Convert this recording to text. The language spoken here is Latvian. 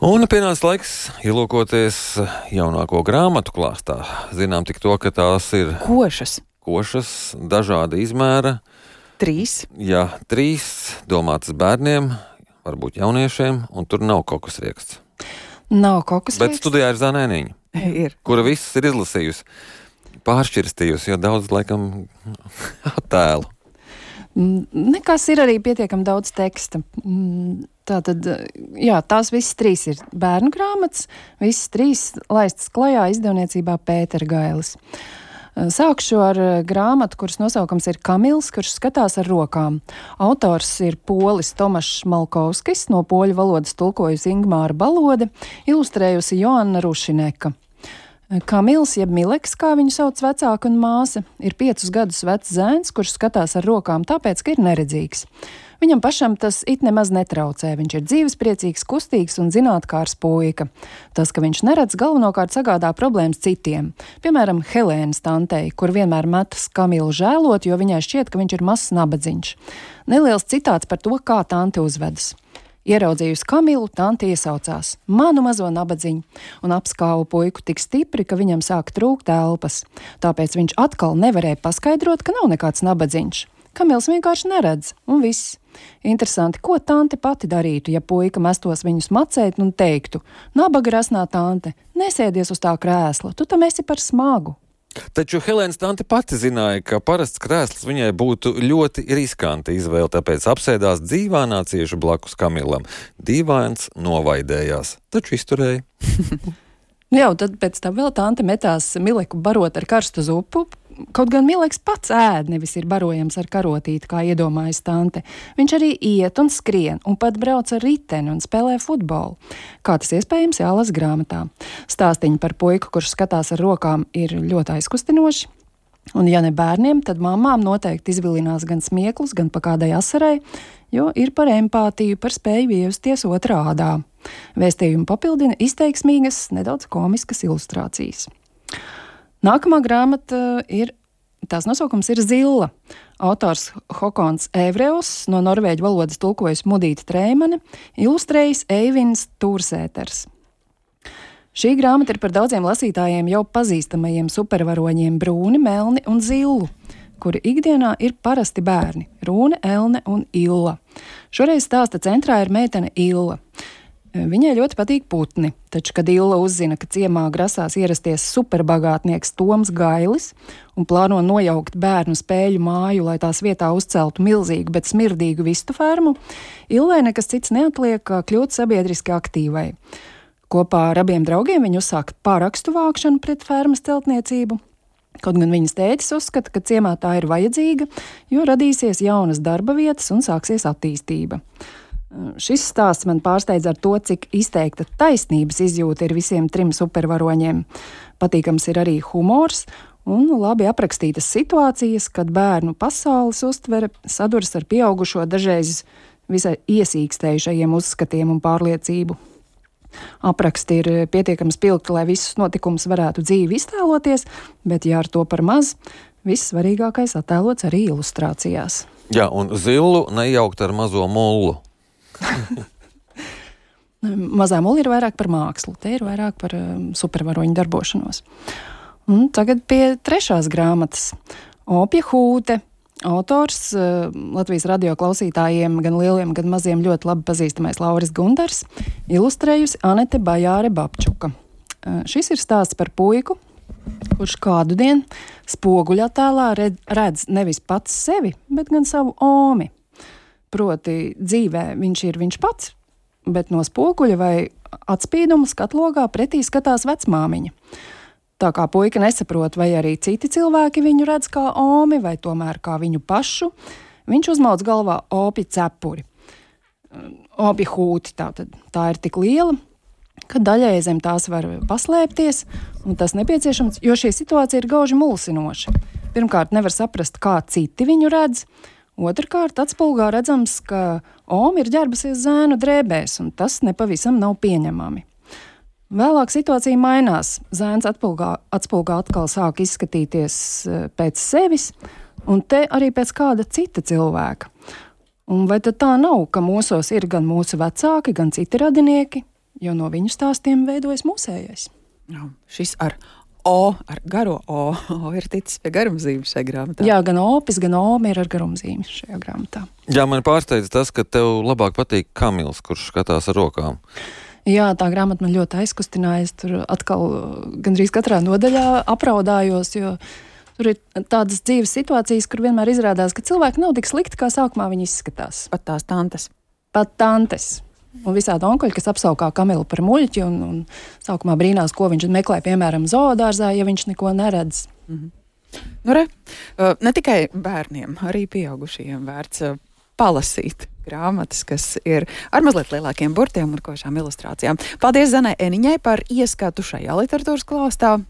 Un pienāca laiks ielūkoties jaunāko grāmatu klāstā. Zinām tik to, ka tās ir košas, dažāda izmēra. 3. Jā, 3 domātas bērniem, varbūt jauniešiem, un tur nav kokusrieksts. Nav kokusrieksts. Bet studijā ir Zanēniņa, kura viss ir izlasījusi, pāršķirstījusi, jo daudz laikam attēlu. Nekas ir arī pietiekami daudz teksta. Tātad, jā, tās visas 3 ir bērnu grāmatas, visas 3 laistas klajā izdevniecībā Pētera Gailis. Sākšu ar grāmatu, kuras nosaukums ir Kamils, kurš skatās ar rokām. Autors ir polis Tomašs Malkovskis, no poļu valodas tulkojusi Ingmāra Balode, ilustrējusi Joanna Rušineka. Kamils, jeb Mileks, kā viņu sauc vecāka un māsa, ir 5 gadus vecs zēns, kurš skatās ar rokām tāpēc, ka ir neredzīgs. Viņam pašam tas it nemaz netraucē, viņš ir dzīvespriecīgs, kustīgs un zinātkārs puika. Tas, ka viņš neredz, galvenokārt sagādā problēmas citiem. Piemēram, Helēnas tantei, kur vienmēr metas Kamilu žēlot, jo viņai šķiet, ka viņš ir mazs nabadziņš. Neliels citāts par to, kā tante uzvedas. Ieraudzījusi Kamilu, tante iesaucās: manu mazo nabadziņu, un apskāva puiku tik stipri, ka viņam sāk trūkt elpas. Tāpēc viņš atkal nevarēja paskaidrot, ka nav nekāds nabadziņš. Kamils vienkārši neredz, un viss. Interesanti, ko tante pati darītu, ja puika mestos viņus macēt un teiktu: nabaga rasnā tante, nesēdies uz tā krēsla, tu tam esi par smagu. Taču Helēnas tante pati zināja, ka parasts krēsls viņai būtu ļoti riskanta izvēle, tāpēc apsēdās dīvānā cieši blakus Kamilam. Dīvains novaidējās, taču izturēja. Jā, tad pēc tam vēl tante metās Mileku barot ar karstu zupu. Kaut gan Mileks pats ēd, nevis ir barojams ar karotīti, kā iedomājas tante. Viņš arī iet un skrien, un pat brauc ar riteni un spēlē futbolu. Kā tas iespējams, jālasa grāmatā. Stāstiņi par puiku, kurš skatās ar rokām, ir ļoti aizkustinoši. Un ja ne bērniem, tad mamām noteikti izvilinās gan smieklus, gan pa kādai asarai, jo ir par empātiju, par spēju iejusties otrā ādā. Vēstījumu papildina izteiksmīgas, nedaudz komiskas ilustrācijas. Nākamā grāmata tās nosaukums ir Zilla. Autors Hokons Evreus, no norvēģu valodas tulkojas Mudīta Treimane, ilustrējis Eivins Tūrsēters. Šī grāmata ir par daudziem lasītājiem jau pazīstamajiem supervaroņiem Brūni, Melni un Zillu, kuri ikdienā ir parasti bērni – Rūne, Elne un Illa. Šoreiz stāsta centrā ir meitene Illa. Viņai ļoti patīk putni, taču, kad Illa uzzina, ka ciemā grasās ierasties superbagātnieks Toms Gailis un plāno nojaukt bērnu spēļu māju, lai tās vietā uzceltu milzīgu, bet smirdīgu vistu fermu, Illai nekas cits neatliek, kā kļūt sabiedriski aktīvai. Kopā ar abiem draugiem viņi uzsāk pārakstu vākšanu pret fermas celtniecību. Kaut gan viņas tētis uzskata, ka ciemā tā ir vajadzīga, jo radīsies jaunas darba vietas un sāksies attīstība. Šis stāsts man pārsteidz ar to, cik izteikta taisnības izjūta ir visiem 3 supervaroņiem. Patīkams ir arī humors un labi aprakstītas situācijas, kad bērnu pasaules uztvere saduras ar pieaugušo dažreiz visai iesīkstējušajiem uzskatiem un pārliecību. Apraksti ir pietiekami spilgti, lai visus notikumus varētu dzīvi iztēloties, bet ja ar to par maz, viss svarīgākais attēlots arī ilustrācijās. Jā, un Zillu nejaukt ar mazo mullu. Mazā mulla ir vairāk par mākslu, te ir vairāk par supervaroņu darbošanos. Un tagad pie 3. grāmatas. Opja Hūte. Autors Latvijas radio klausītājiem, gan lieliem, gan maziem ļoti labi pazīstamais Lauris Gundars, ilustrējusi Anete Bajāre Babčuka. Šis ir stāsts par puiku, kurš kādu dienu spoguļa attēlā redz nevis pats sevi, bet gan savu omi. Proti dzīvē viņš ir viņš pats, bet no spoguļa vai atspīduma skatlogā pretī skatās vecmāmiņa. Tā kā puika nesaprot, vai arī citi cilvēki viņu redz kā omi, vai tomēr kā viņu pašu, viņš uzmauc galvā opja cepuri. Opja hūti tā ir tik liela, ka daļai zem tās var paslēpties, un tas nepieciešams, jo šī situācija ir gauži mulsinoša. Pirmkārt, nevar saprast, kā citi viņu redz. Otrkārt, atspulgā redzams, ka Oma ir ģērbusies zēnu drēbēs, un tas nepavisam nav pieņemami. Vēlāk situācija mainās. Zēns atspulgā atkal sāk izskatīties pēc sevis, un te arī pēc kāda cita cilvēka. Un vai tad tā nav, ka mūsos ir gan mūsu vecāki, gan citi radinieki? jo no viņu stāstiem veidojas mūsējais. Šis ar O, ar garo O ir ticis pie garumzīmes šajā grāmatā. Jā, gan opis, gan ome ir ar garumzīmi šajā grāmatā. Jā, man pārsteidz tas, ka tev labāk patīk Kamils, kurš skatās ar rokām. Jā, tā grāmata man ļoti aizkustināja. Es tur atkal gandrīz katrā nodaļā apraudājos, jo tur ir tādas dzīves situācijas, kur vienmēr izrādās, ka cilvēki nav tik slikti, kā sākumā viņi izskatās. Pat tās tantes. Pat tantes. Un visādi onkuļi, kas apsaukā Kamilu par muļķi un sākumā brīnās, ko viņš meklē, piemēram, zoodārzā, ja viņš neko neredz. Nu, ne tikai bērniem, arī pieaugušajiem vērts palasīt grāmatas, kas ir ar mazliet lielākiem burtiem un košām ilustrācijām. Paldies Zanai Eniņai par ieskatu šajā literatūras klāstā.